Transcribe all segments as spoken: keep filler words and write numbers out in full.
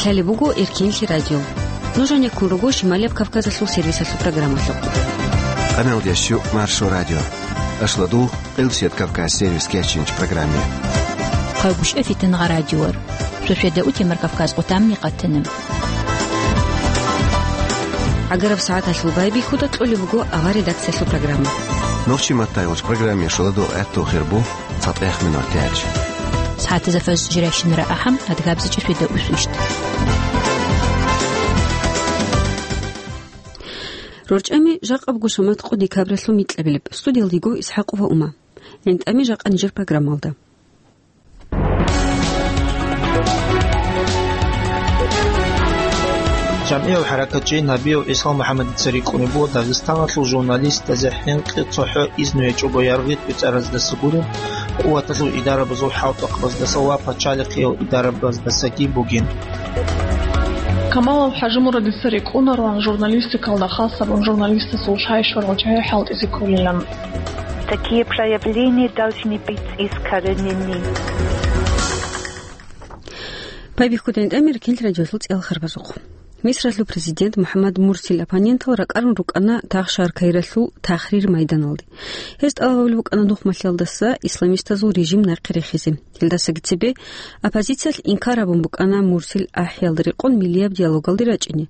Лъалеб буго Эркенлъи радио. Нуж гьанеккун руго Шималияб Кавказалъул сервисалъул программалъухъ. Къаналдиясчу Маршо радио. Ашладул Къилсият Кавказ сервис кечинч программе. Хъайбушев Фитнагъа радиор. Шошеда утемар Кавказ къутамни къатана. ГӀагараб сагӀаталъул байбихьуда кьолеб буго авар редакциялъул программа. Нохчи маттайгъулч программе шуладул гӀатту хирбу. ЦатӀех минут тяч. СагӀатазда фаз жирайщинара ахӀам, адгабзичӀеб шведа усвищт. РорчӀами жакъабго шамат къо декабралъул микьабилеб. Студиялдиго ИсхӀакъова Ума. ГӀинтӀами жакъа нижер программалда. ЖамгӀиял хӀаракатчи Набиев ГӀисал МухӀаммадица рикӀкӀунеб буго Дагъистаналъул журналистазе хӀинкъи цохӀо изну гьечӀого яргъи кӀвецӀараздаса гуреб, къуваталъул идарабазул хӀалтӀухъабаздаса ва пачалихъиял идарабаздасаги бугин. Камалов ХӀажимурадица рикӀкӀунароан журналистикалда хас гьабун журналистасул шай-шурал чагӀи хӀалтӀизе кколилан. Такие проявления должны быть искоренены. Пайбихьуда гӀинтӀами Эркенлъи радиолъул цӀелхарбазухъ. Мисралъул президент МухӀаммад Мурсил оппонентал ракӀарун рукӀана Тагъ-Шагьар Каиралъул Тахрир майданалде. Гьез тӀалаб гьабулеб букӀана нухмалъиялдаса исламистазул режим нахъе рехизе. Гьелдасаги цебе оппозициялъ инкар гьабун букӀана Мурсил ахӀиялда рекъон миллияб диалогалде рачӀине.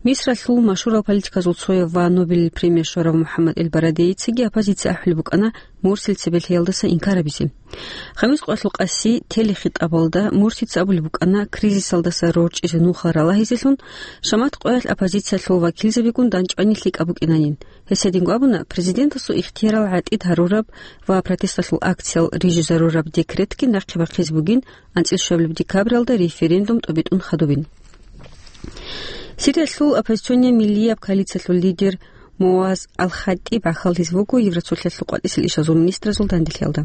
Мисралъул машгьурал политиказул цояв ва Нобелил премия щварав МухӀаммад Эл-Барадейицаги оппозиция ахӀулеб букӀана Мурсил цебе лъиялдаса инкар гьабизе. Хамис къоялъул къаси телехитӀабалда Мурсица абулеб букӀана кризисалдаса рорчӀизе нухал ралагьизелъун, шамат къоялъ оппозициялъул вакилзабигун дандчӀвани лъикӀаб букӀинанин. Гьес гьединго абуна, президентасул ихтиярал гӀатӀид гьарураб ва протесталъул акциял рижизарураб декретги нахъе бахъизе бугин, анцӀил щуабилеб декабралда референдум тӀобитӀун хадубин. Сириялъул оппозиционный миллияб коалициялъул лидер Муаз Ал-Хаттиб гӀахьаллъизе вуго Евроцолъиялъул къватӀисел ишазул министразул данделъиялда.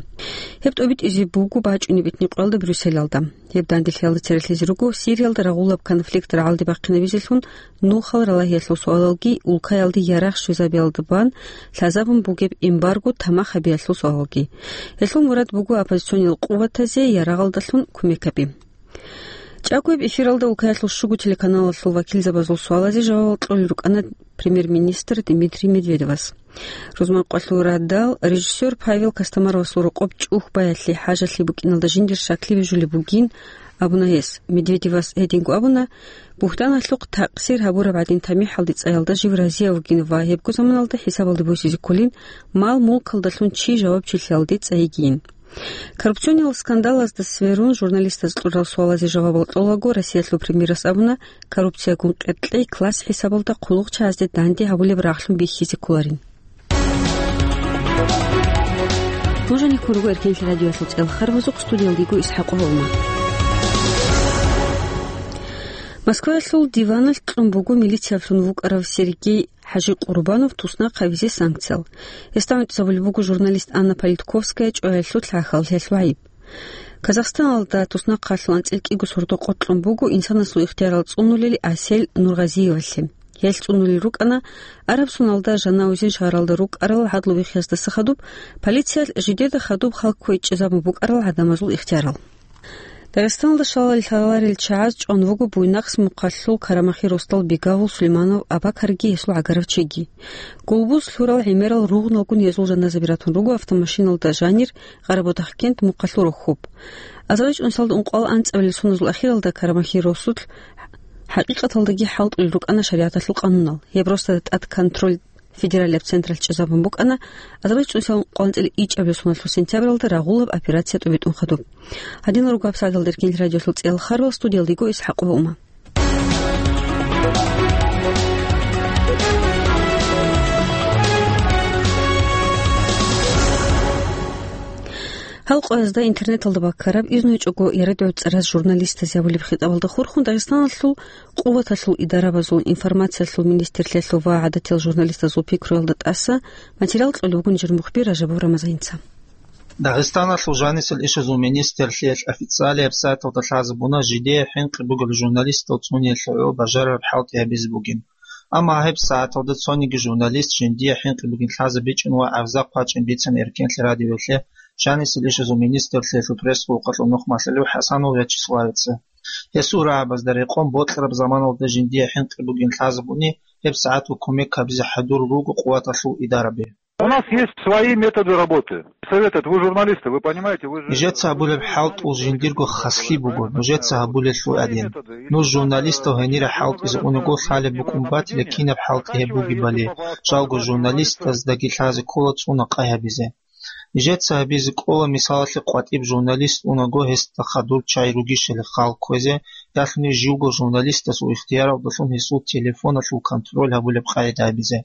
Гьеб тӀобитӀизе буго бачӀунеб бетӀералда Брюсселалда. Гьеб данделъиялда церехъизе руго Сириялда рагъулаб конфликт рагӀалде бахъинабизелъун нухал ралагьиялъул суалалги улкаялде ярагъ щвезабиялда бан лъазабун бугеб эмбарго тамах гьабиялъул суалалги. Гьелъул мурад буго оппозициониял къуватазе ярагъалдалъун кумек гьаби. ЧӀакояб эфиралда улкаялъул щуго телеканалалъул вакилзабазул суалазе жавабал кьолел рукӀана премьер-министр Дмитрий Медведевас. Рузман къвалъул радал режиссер Павел Костомаровасул рокъоб чӀухь баялъе хӀажалъи букӀиналда жиндир щаклъи бижулеб бугин абуна гьес. Медведевас гьединго абуна, бугьтаналъухъ такъсир гьабураб гӀадин тамихӀалде цӀаялда жив разияб вугин ва гьебго заманалда хӀисабалде босизе кколин мал-мулкалдалъун чи жавабчилъиялде цӀайигийин. Коррупциониял скандалазда сверун, журналистаз кьурал суалазе жавабал кьолаго, Россиялъул премьерас абуна, коррупциягун къеркьей класс хӀисабалда хъулухъчагӀазде данде гьабулеб рагълъун бихьизе кколарин. Нуж гьанеккун руго Эркенлъи радиоялъул цӀелхарбазухъ, студиялдиго ИсхӀакъова Ума. Москваялъул диваналъ кьун буго милициялъун вукӀарав Сергей ХӀажи Къурбанов туснахъ гьавизе санкциял. Гьесда гӀунтӀизабулеб буго журналист Анна Политковская чӀваялъул лъахьаллъиялъул гӀайиб. Казахстаналда туснахъалъул анцӀил кӀиго сордо къокълъун буго инсанасул ихтиярал цӀунулел Асель Нургъазиевалъе. Гьелъ цӀунулел рукӀана араб соналда Жанаузен шагьаралда рукӀарал гӀадлу вихъиялдаса хадуб, полициялъ жидеда хадуб хал кквечӀезабун букӀарал гӀадамазул ихтиярал. Дагъистаналда щалал лъаларел чагӀаз чӀван вуго Буйнакск мухъалъул Карамахи росдал Бегавул Сулейманов Абакарги гьесул гӀагарав чиги. Гулбуз лъурал гӀемерал ругъналгун гьезул жаназаби ратун руго автомашиналда жанир Къарабудахъкент мухъалъул рохьуб. АзарилчӀун салда ункъоялда анцӀабилеб соназул ахиралда Карамахи росулъ хӀакъикъаталдаги хӀалтӀулел рукӀана шаригӀаталъул къанунал. Гьеб росдада тӀад контроль федералияб централъ чӀезабун букӀана, азарилчӀун салда ункъоялда анцӀила ичӀабилеб соналъул сентябралда рагъулаб операция тӀубитӀун хадуб. Гьадинал руго гьабсагӀаталда Эркенлъи радиолъул цӀелхарбал, студиялдиго ИсхӀакъова Ума. Гьал къоязда интернеталда баккараб, изну гьечӀого ярадугӀу цӀараз журналистазе гьабулеб хитӀабалда хурхун, Дагъистаналъул къуваталъул идарабазул, информациялъул министрлъиялъул ва гӀадатиял журналистазул пикруялда тӀаса материал кьолеб бугин жир мухбир Ражабов Рамазаница. Дагъистаналъул жанисел ишазул министрлъиялъ официалияб сайталда лъазабуна, жидее хӀинкъи бугел журналистал цӀуниялъе гӀо бажарараб хӀалтӀи гьабизе бугин. Амма гьеб сагӀаталда цониги журналист жиндие хӀинкъи бугин лъазабичӀин ва гӀарза хъвачӀин бицин Эркенлъи радиоялъе жанисел ишазул министрлъиялъул пресс-службаялъул нухмалъулев ХӀасанов Вячеславица. Гьесул рагӀабазда рекъон бокьараб заманалда жиндие хӀинкъи бугин лъазабуни, гьеб сагӀатго кумек гьабизе хӀадур руго къуваталъул идараби. У нас есть свои методы работы. Совет, это вы журналисты, вы понимаете, вы же... Нижеца гьабулеб хӀалтӀул жиндирго хаслъи буго, нужеца гьабулелъул гӀадин. Нуж журналистал гьенире хӀалтӀизе унаго лъалеб букӀун батила кинаб хӀалтӀи гьеб бугебали, жалго журналистаздаги лъазе ккола цӀуна къай гьабизе. Нижеца гьабизе кӀола, мисалалъе, къватӀиб журналист унаго гьесда хадур чагӀи ругищали хал кквезе, ялъуни живго журналистасул ихтияралдалъун гьесул телефоналъул контроль гьабулеб къагӀида гьабизе.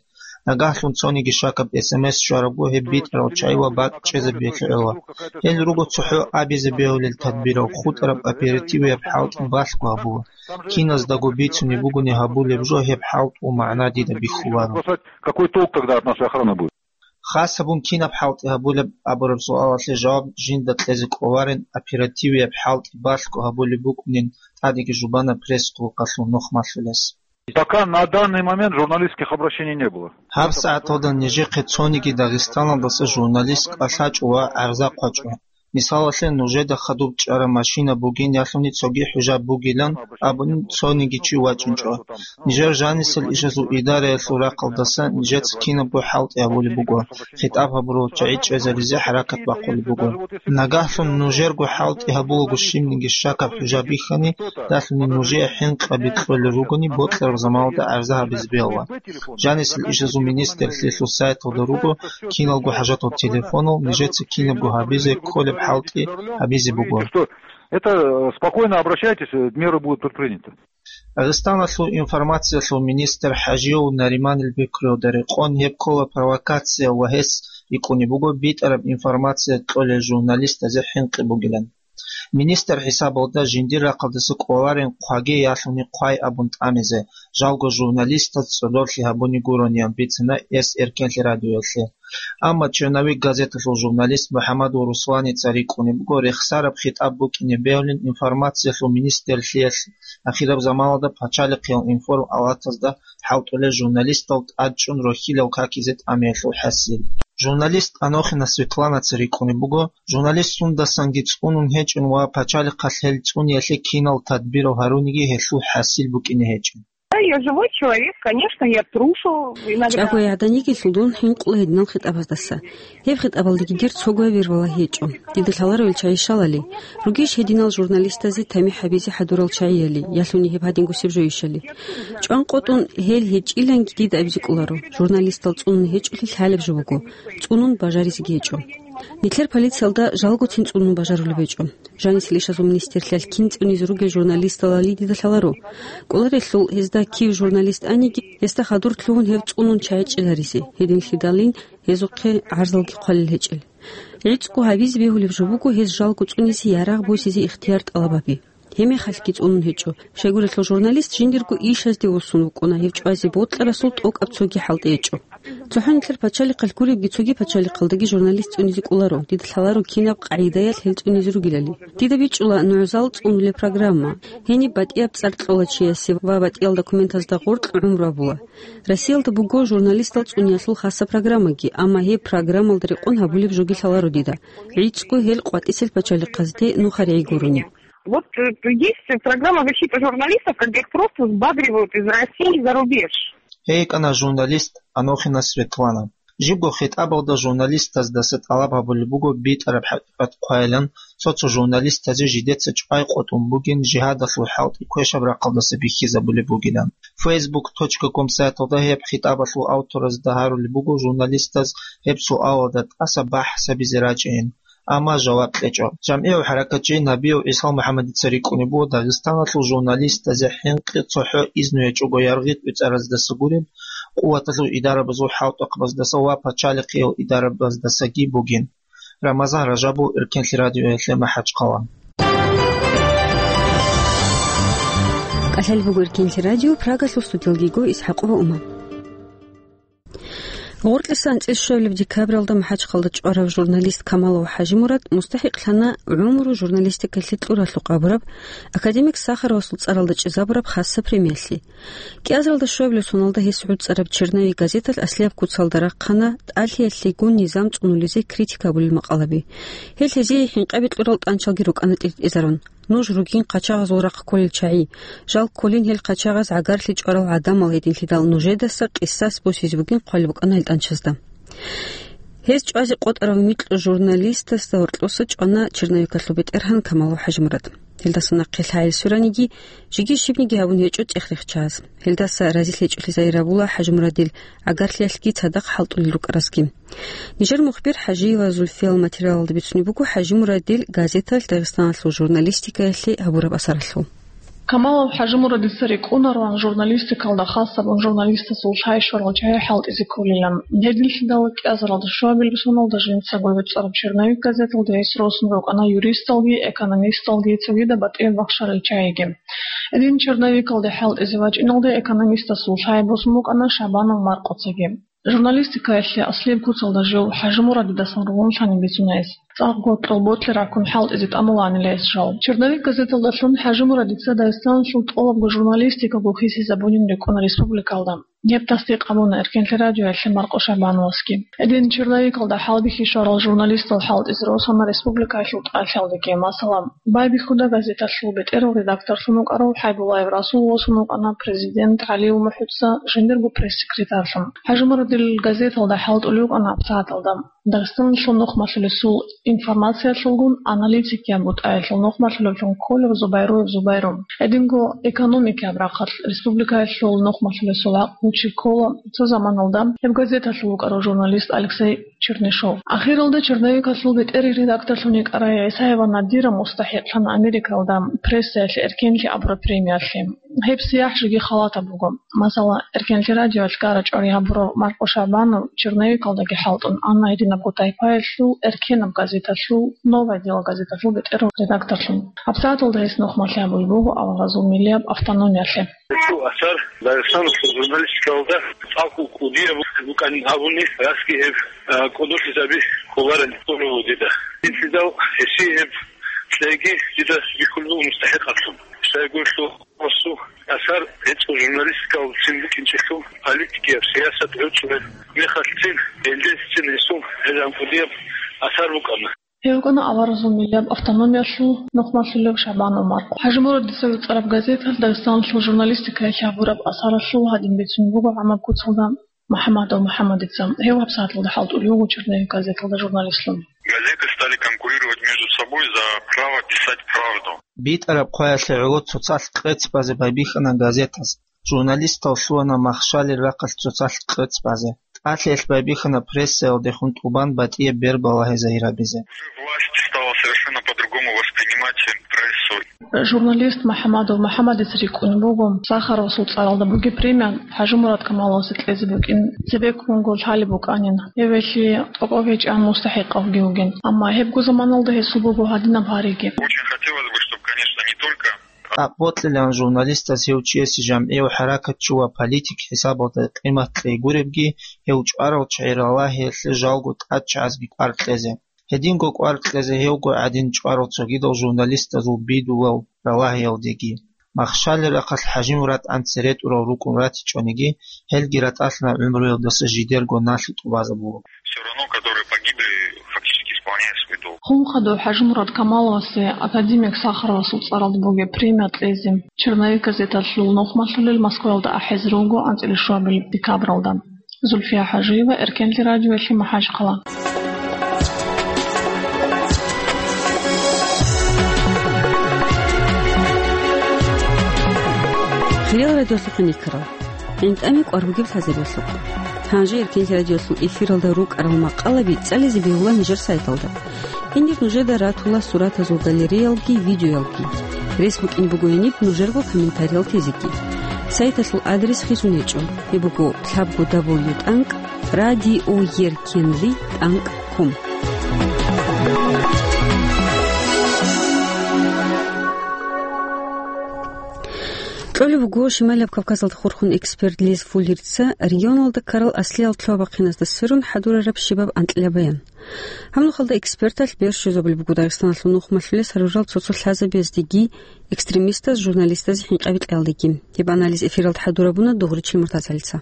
Нагагьлъун цониги щакаб эс эм эс щварабго гьеб битӀарал чагӀи ва бакӀ чӀезабиялъе гӀола. Гьел руго цохӀо абизе бегьулел тадбирал, хутӀараб оперативияб хӀалтӀи балъго гьабула. Киназдаго бицунеб бугони гьабулеб жо гьеб хӀалтӀул магӀна дида бихьуларо. Какой толк тогда от нашей охраны будет? Хас гьабун кинаб хӀалтӀи гьабулеб абураб суалалъе жаваб жинда кьезе кӀоларин, оперативияб хӀалтӀи балъго гьабулеб букӀунин тӀадеги жубана пресс-клубалъул нух малъулес. Пока на данный момент журналистских обращений не было. ГьабсагӀаталда нижехъе цониги Дагъистаналдаса журналист кӀалъачӀо ва гӀарза хъвачӀо. Мисалалъе, нужеда хадуб чӀараб машина бугин ялъуни цоги хӀужаб бугилан абун цониги чи вачӀинчӀо. Нижер жанисел ишазул идараялъул рахъалдаса нижеца кинабго хӀалтӀи гьабулеб буго, хитӀаб гьабурал чагӀи чӀезаризе хӀаракат бахъулеб буго. Нагагьлъун нужерго хӀалтӀи гьабулаго щибниги щакаб хӀужа бихьани, далъуни нужее хӀинкъаби кьолел ругони, бокьараб заманалда гӀарза гьабизе бегьула. Жанисел ишазул министрлъиялъул сайталда руго киналго хӀажатал телефонал, нижеца кинабго гьабизе кколеб хӀалтӀи гьабизе буго. Это, э, спокойно обращайтесь, э, меры будут предприняты. Дагъистаналъул информациялъул министр ХӀажиев Нариманил пикруялда рекъон гьеб ккола провокация ва гьес рикӀкӀунеб буго битӀараб информация кьолел журналистазе хӀинкъи бугилан. Министр хӀисабалда жиндир рахъалдаса кӀоларин хъваги ялъуни хъвай абун тӀамизе, жалго журналистаз цӀодорлъи гьабуни гурониян бицина эс Эркенлъи радиоялъе. Амма «Черновик» газеталъул журналист МухӀаммадул Русланица рикӀкӀунеб буго рехсараб хитӀаб букӀине бегьулин информациялъул министрлъиялъ ахираб заманалда пачалихъиял информ алатазда хӀалтӀулел журналистал тӀадчӀун рохьилал какизе тӀамиялъул хӀасил. Журналист Анохина Светланаца рикӀкӀунеб буго, журналист сундасанги цӀунун гьечӀин ва пачалихъалъ гьел цӀуниялъе кинал тадбирал гьаруниги гьелъул хӀасил букӀине гьечӀин. Да, я живой человек, конечно, я трушу иногда. ЧӀаго гӀадан йигелъул дун хӀинкъула гьединал хитӀабаздаса. Гьеб хитӀабалдаги дир цого вирвала гьечӀо. Дида лъаларо ил чагӀи щалали. Ругищ гьединал журналистазе тамихӀ гьабизе хӀадурал чагӀияли, ялъуни гьеб гьадингусеб жойищали? ЧӀван къотӀун гьел гьечӀиланги дида абизе кӀоларо. Журналистал цӀунун гьечӀолъи лъалеб жо буго, цӀунун бажаризеги гьечӀо. Нилъер полициялда жалгоцин цӀунун бажарулеб гьечӀо. Жанисел ишазул министрлъиялъ кин цӀунизе ругел журналисталали дида лъаларо. КӀоларелъул гьезда кив журналист аниги, гьесда хадур лъугьун гьев цӀунун чагӀи чӀезаризе, гьединлъидалин гьезухъе гӀарзалги хъвалел гьечӀел. ГӀицӀго гьабизе бегьулеб жо буго гьез жалго цӀунизе ярагъ босизе ихтияр тӀалаб гьаби. Гьебмехалъги цӀунун гьечӀо. Щайгурелъул журналист жиндирго ишазде вуссун вукӀуна, гьев чӀвазе бокьарасул тӀокӀаб цоги хӀалтӀи гьечӀо. ЦохӀо нилъер пачалихъалъ гуребги цоги пачалихъалдаги журналист цӀунизе кӀоларо, дида лъаларо кинаб къагӀидаялъ гьел цӀунизе ругелали. Дида бичӀчӀула нугӀзал цӀунулеб программа. Гьениб батӀияб цӀар кьола чиясе ва батӀиял документазда гъоркь гӀумру абула. Россиялда буго журналистал цӀуниялъул хаса программаги, амма гьеб программалда рекъон гьабулеб жоги лъаларо дида. ГӀицӀго гьел къватӀисел пачалихъазде нухаригӀи гурони. Вот, э, есть программа защиты журналистов, когда их просто сбагривают из России за рубеж. Гьей кӀана журналист Анохина Светлана. Жибго хитӀабалда журналистаздаса тӀалаб гьабулеб буго битӀараб хӀакъикъат хъвайилан, цо-цо журналистазе жидеца чӀвай къотӀун бугин жигьадалъул хӀалтӀи квешаб рахъалдаса бихьизабулеб бугилан. Фейсбук точка ком сайталда гьеб хитӀабалъул авторазда гьарулеб буго журналистаз гьеб суалалда тӀаса бахӀс гьабизе рачӀейин. Амма жаваб кьечӀо. ЖамгӀияв хӀаракатчи Набиев ГӀисал МухӀаммадица рикӀкӀунеб буго Дагъистаналъул журналистазе хӀинкъи цохӀо изну гьечӀого яргъи тӀуцӀараздаса гуреб, къуваталъул идарабазул хӀалтӀухъабаздаса ва пачалихъиял идарабаздасаги бугин. Рамазан Ражабов, Эркенлъи радиоялъе МахӀачхъала. КӀалъалеб буго Эркенлъи радио, Прагалъул студиялги го Исхьакъова Ума. Гъоркьиса анцӀила щуабилеб декабралда МахӀачхъалда чӀварав журналист Камалов ХӀажимурад мустахӀикълъана гӀумру журналистикалъе кьуралъухъ абураб, академик Сахаровасул цӀаралда чӀезабураб хаса премиялъе. КӀиазаралда щуабилеб соналда гьес гӀуцӀараб «Черновик» газеталъ аслияб куцалда рахъана тӀалъиялъегун низам цӀунулезе критика абулел макъалаби. Гьел гьезие хӀинкъаби кьурал тӀанчалги рукӀана тӀиртӀизарун. нуж ругин къачагъазул рахъ кколел чагӀи. Жал кколин гьел къачагъаз гӀагарлъи чӀварал гӀадамал гьединлъидал нужедаса къисас босизе бугин хъвалеб букӀана гьелтӀанчазда. Гьез чӀвазе къотӀарав микьу журналистасда гьоркьоса чӀвана черновикалъул бетӀергьан Камалов ХӀажимурад. Гьелдаса нахъе лъагӀел сураниги, жеги щибниги гьабун гьечӀо цӀех-рехчаз. Гьелдаса разилъ гьечӀолъи загьир гьабула ХӀажимурадил гӀагарлъиялъги цадахъ хӀалтӀулел рукӀаразги. Нижер мухбир ХӀажиева Зульфиял материалалда бицунеб буго ХӀажимурадил газеталъ Дагъистаналъул журналистикаялъе гьабураб асаралъул. Камалов ХӀажимурадица рикӀкӀунароан журналистикалда, хасабун журналистасул лъай-щварал чагӀи хӀалтӀизе кколилан. Гьединлъидал кӀиазаралда щуабилеб соналда жинцаго вецӀараб черновик газеталда гьес росун рукӀана юристалги, экономисталги, цогидаб батӀияб бахшарал чагӀиги. Гьедин черновикалде хӀалтӀизе вачӀиналде экономистасул лъай босун букӀана Шабанов Маркъоцаги. Журналистикаялъе аслияб куцалда жив ХӀажимурадидасан ругьунлъани бицуна гьес. ЦӀакъго кьолботлъи раккун хӀалтӀизе тӀамулаанила гьес жал. Черновик газеталдалъун ХӀажимурадица Дагъистаналъул тӀолабго журналистикаго хисизабунин рикӀкӀуна республикалда. Гьеб тасдикъ гьабуна Эркенлъи радиоялъе Маркъо Шабановасги. Гьедин черновикалда хӀалбихьи щварал журналистал хӀалтӀизе росана республикаялъул тӀалъалдеги, масала, «Байбихьуда» газеталъул бетӀерал редакторлъун вукӀарав ХӀайбуллаев Расул восун вукӀана, президент ГӀалиев МухӀудса жиндирго пресс-секретарьлъун. ХӀажимурадил газеталда хӀалтӀулев вукӀана абсагӀаталда Дагъистаналъул нухмалъулесул информациялъулгун аналитикияб бутӀаялъул нухмалъулевлъун кколев Зубайруев Зубайру. Гьединго экономикияб рахъалъ республикаялъул нухмалъулесул гӀакълу чи ккола цо заманалда гьеб газеталъул вукӀарав журналист Алексей Чернышов. Ахиралда черновикалъул бетӀер редакторлъун йикӀарай ГӀисаева Надира мустахӀикълъана Америкалда прессаялъе эркенлъи абураб премиялъе. Гьеб сияхӀ жеги халатаб буго. Масала, Эркенлъи радиоялъ гара-чӀвари гьабурав Маркъо Шабанов черновикалдаги хӀалтӀун, амма гьединабго тайпаялъул эркенаб газеталъул, «Новое дело» газеталъул бетӀерав редакторлъун. ГьабсагӀаталда гьес нухмалъи гьабулеб буго аварагзул миллияб автономиялъе. Гьесул асар Дагъистаналъул журналистикалда цӀакъго кӀудияб букӀанин абуни, расги гьеб, а, кӀодолъизаби кколарин гьикъулеб буго дида. Гьелъидал гьесие гьеб кьеги дида бихьулеб буго мустахӀикъаблъун. Щайгурелъул гьесул асар гӀицӀго журналистикалда цин букӀинчӀелъул политикияб сиясат гӀуцӀулеб мехалъцин, гьелдецин гьесул гӀелан кӀудияб асар букӀана. Гьев вукӀана аварагзул миллияб автономиялъул нухмалъулев Шабанов Маркъо. ХӀажимурадица вецӀараб газеталъ Дагъистаналъул журналистикаялъе гьабураб асаралъул гьадин бицун буго гӀамаб куцалда МухӀамадов МухӀамадица. Гьев гьабсагӀаталда хӀалтӀулев вуго черновик газеталда журналистлъун. Газеты стали конкурировать между собой за право писать правду. БитӀараб хъваялъе гӀоло цоцалъ къец базе байбихьана газетаз. Журналистал лъугьана махщалил рахъалъ цоцалъ къец базе. ТӀалъиялъ байбихьана прессаялдехун тӀубан батӀияб бер балагьи загьир гьабизе. Власть стала совершенно по-другому воспринимать прессу. Журналист МухӀамадов МухӀамадица рикӀкӀунеб буго Сахаровасул цӀаралда бугеб премия ХӀажимурад Камаловасе кьезе букӀин цебеккунго лъалеб букӀанин. Гьевелъи тӀокӀав гьечӀеб мустахӀикъавги вугин. Амма гьебго заманалда гьесул буго гьадинаб гьариги. Очень хотелось бы, чтобы, конечно, не только ТӀакъ бокьилаан журналистаз гьев чиясе жамгӀияв хӀаракатчи ва политик хӀисабалда къимат кьей гуребги, гьев чӀварал чагӀи ралагьиялъе жалго тӀадчагӀазги кӀвар кьезе. Гьединго кӀвар кьезе гьевго гӀадин чӀварал цогидал журналистазул бидулал ралагьиялдеги. Махщалил рахъалъ ХӀажимурадгӀан цере тӀурал рукӀун ратичӀониги, гьелги ратӀалъана гӀумруялдаса жидерго налъи тӀубазабулеб. Всё равно, которые погибли, фактически исполняют свой долг. Хун хадув ХӀажимурад Камаловасе академик Сахаровасул цӀаралда бугеб премия кьезе, черновик газеталъул нухмалъулел Москваялда ахӀизе руго анцӀила щуабилеб декабралда. Зульфия ХӀажиева, Эркенлъи радиоялъе, МахӀачхъала. Хириял радиолъухъ никарал. ГӀинтӀами кӀвар бугеб лъазабиялъухъ. Гьанже Эркенлъи радиолъул эфиралда рукӀарал макъалаби цӀализе бегьула нижер сайталда. Гьенир нужеда ратула суратазул галереялги видеоялги. Рес букӀин буго гьениб нужерго комментариял тезеги. Сайталъул адрес хисун гьечӀо. Гьеб буго лъабго дабл ю тӀанкӀ радиоеркенлъи тӀанкӀ ком. Кьолеб буго Шималияб Кавказалда хурхун эксперт Лез Фуллерца регионалда ккарал аслиял лъугьа-бахъиназда сверун хӀадурараб щибаб анкьила баян. Гьаб нухалда эксперталъ бер щвезабулеб буго Дагъистаналъул нухмалъулес гьарурал цо-цо лъазабияздеги, экстремистаз, журналистазе хӀинкъаби кьеялдеги. Гьеб анализ эфиралда хӀадурабуна Дугъричил Муртазалица.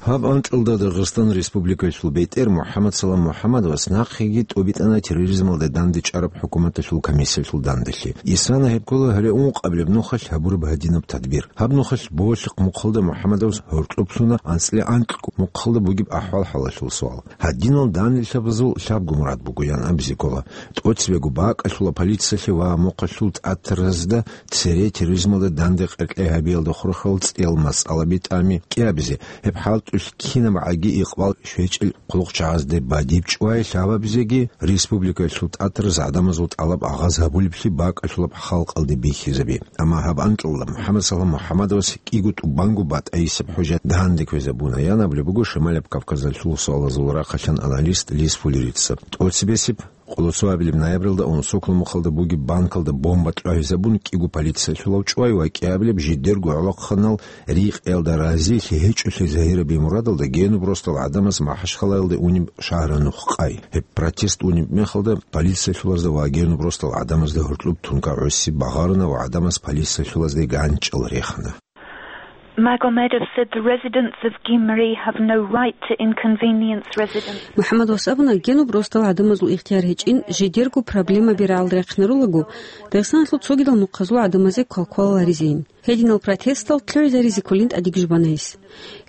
Гьаб анкьалда Дагъистан Республикалъул бетӀер МухӀаммад Салам МухӀаммадовас нахъеги тӀубитӀана терроризмалда дандечӀараб хӀукуматалъул комиссиялъул данделъи. Исана гьеб ккола гьале ункъабилеб нухалъ гьабураб гьадинаб тадбир. Гьаб нухалъ болъихъ мухъалда МухӀаммадовас гьоркьоб лъуна анцӀила анкьго мухъалда бугеб ахӀвал-хӀалалъул суал. Гьадинал данделъабазул лъабго мурад бугоян абизе ккола. ТӀоцебего бакӀалъула полициялъе ва мухъалъул тӀатаразда цере терроризмалда данде къеркьей гьабиялда хурхарал цӀиял масъалаби тӀами кӀиабизе, гьеб хӀалтӀулъ кинаб гӀаги икъбал щвечӀел хъулухъчагӀазде бадиб чӀвай лъабабизеги республикалъул тӀатараз гӀадамазул тӀалаб агъаз гьабулеблъи бакӀалъулаб халкъалде бихьизаби. Амма гьаб анкьалда МухӀаммад Салам МухӀаммадовас кӀиго тӀубанго батӀайисеб хӀужа данде кквезабуна, ян абулеб буго Шималаб Кавказалъул суалазул рахъалъан аналист Лис Фуллерица. ТӀоцебесеб, къоло цоабилеб ноябралда Унсокла мухъалда бугеб банкалда бомба кьвагьизабун кӀиго полициялъулав чӀвай ва кӀиабилеб жидерго гӀолохъанал рикъиялда разилъи гьечӀолъи загьирабиялъе мурадалда генуб росдал гӀадамаз МахӀачхъалаялде унеб шагьаранухъ къай. Гьеб протест унеб мехалда полициялъулазда ва генуб росдал гӀадамазда гьоркьоб тункай гӀоси багъарана ва гӀадамаз полициялъулазде ганчӀал рехана. Magomedov said the residents of Gyumri have no right to inconvenience residents. МухӀаммадовас абуна, генуб росдал гӀадамазул ихтияр гьечӀин жидерго проблемаби рагӀалда рахъинарулаго, Дагъистаналъул цогидал мухъазул гӀадамазе квалквалал гьаризейин. Гьединал протестал лъугӀизаризе кколин тӀадегӀанаб жубана гьес.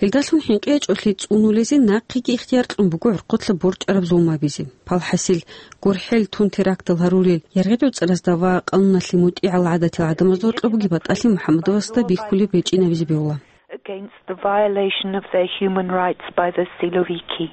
Гьелдалъун хӀинкъи гьечӀолъи цӀунулезе нахъеги ихтияр кьун буго гӀурхъулъа борчӀараб зулму гьабизе. Палхасил, гурхӀел тун терактал гьарулел, яргъи-гӀуцӀразда ва къануналъе мутӀигӀал гӀадатил гӀадамазда гьоркьоб бугеб батӀалъи МухӀаммадовасда бихьулеб гьечӀин абизе бегьула. Against the violation of their human rights by the Siloviki.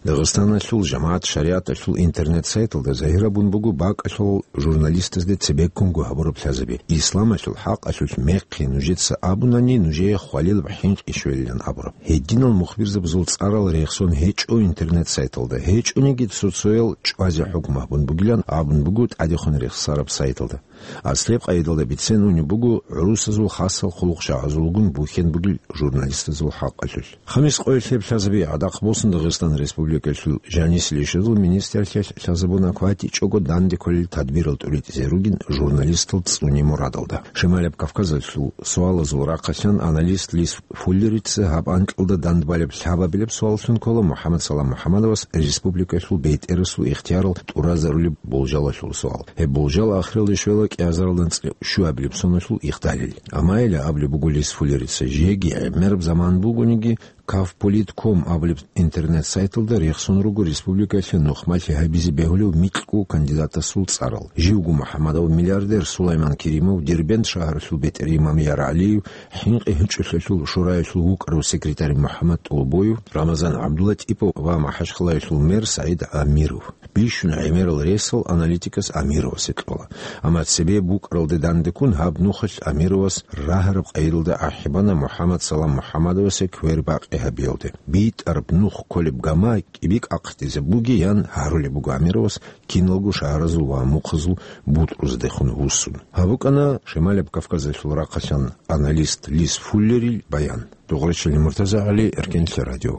Дагъистаналъул жамагӀат шаригӀаталъул интернет-сайталда загьирабун буго бакӀалъул журналистазде цебеккунго гьабураб лъазаби. Исламалъул хӀакъалъулъ мехъи нужеца абунани, нужее хвалилаб хӀинкъи щвелилан абураб. Гьединал мухбирзабазул цӀарал рехсон гьечӀо интернет-сайталда, гьечӀониги цо-цоял чӀвазе хӀукму гьабун бугилан абун буго тӀадехун рехсараб сайталда. Аслаб къайдалда бицен унеб буго гӀурусазул хасал хъулухъчагӀазулгун бухьен бугел журналистазул хӀакъалъулъ. Хамис къоялъ гьеб лъазаби гӀадахъ босун Дагъистан Республикалъул жанисил ишазул министрлъиялъ лъазабун кватӀичӀого данде кколел тадбирал тӀуритӀизе ругин журналистал цӀуне мурадалда. Шималаб Кавказалъул суалазул рахъалъан аналист Лис Фуллерица гьаб анкьалда дандбалеб лъабабилеб суаллъун ккола МухӀаммад Салам МухӀаммадовас республикалъул бетӀерасул ихтиярал тӀуразарулеб болжалалъул суал. Гьеб болжал ахиралде щвела кӀиазаралда анцӀила щуабилеб соналъул ихдалил. Амма гьеле абулеб буго Лис Фуллерица, жеги гӀемераб заман бугониги, Кавполит ком абулеб интернет-сайталда рехсон руго республикалъе нухмалъи гьабизе бегьулев микьго кандидатасул цӀарал. Живго МухӀаммадов миллиардер Сулайман Керимов, Дербент шагьаралъул бетӀер имам Яргьалиев, ХӀинкъи гьечӀолъиялъул шураялъул вукӀарав секретарь МухӀаммад ТӀолбоев, Рамазан ГӀабдулатӀипов ва МахӀачхъалаялъул мэр СагӀид Амиров. Бищун гӀемерал ресал аналитикас Амировасе кьола. Амма цебе букӀаралде дандеккун гьаб нухалъ Амировас рагьараб къайдалда ахӀи бана МухӀаммад Салам МухӀаммадовасе квер бакъи гьабиялде. БитӀараб нух кколеб гама кӀибикӀ ахъдизабугеян гьарулеб буго Амировас киналго шагьаразул ва мухъазул бутӀрузадехун вуссун. Гьаб букӀана Шималаб Кавказалъул рахъалъан аналист Лис Фуллерил баян. Дугърачили Муртазагьали, Эркенлъи радио.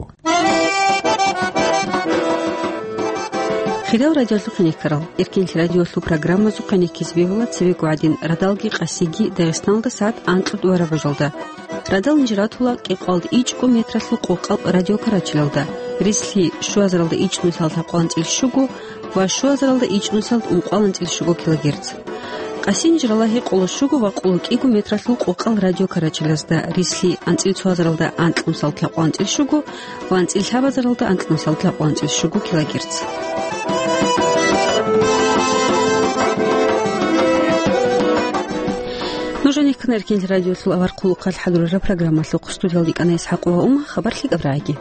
Хириял радиолъухъ гьенеккарал, Эркенлъи радиолъул программазухъ гьенеккизе бегьула цебего гӀадин радалги къасиги Дагъистаналда сагӀат анкьго бараб бажалда. Радал нижер ратула кӀикъоялда ичӀго метралъул къокъал радиокарачелалда, ризлъи щуазаралда ичӀнусиялда лъабкъоялда анцӀила щуго ва щуазаралда ичӀнусиялда ункъоялда анцӀила щуго килогерц. Къаси нижер рала гьекъоло щуго ва къоло кӀиго метралъул къокъал радиокарачелазда, ризлъи анцӀила цоазаралда анкьнусиялда лъабкъоялда анцӀила щуго ва анцӀила лъабазаралда анкьнусиялда лъабкъоялда анцӀила щуго килогерц. Нуж гьенеккана Эркенлъи радиолъул авар хъулухъалъ хӀадурараб программалъухъ. Студиялда йикӀана ИсхӀакъова Ума, хабар лъикӀаб рагӀиги.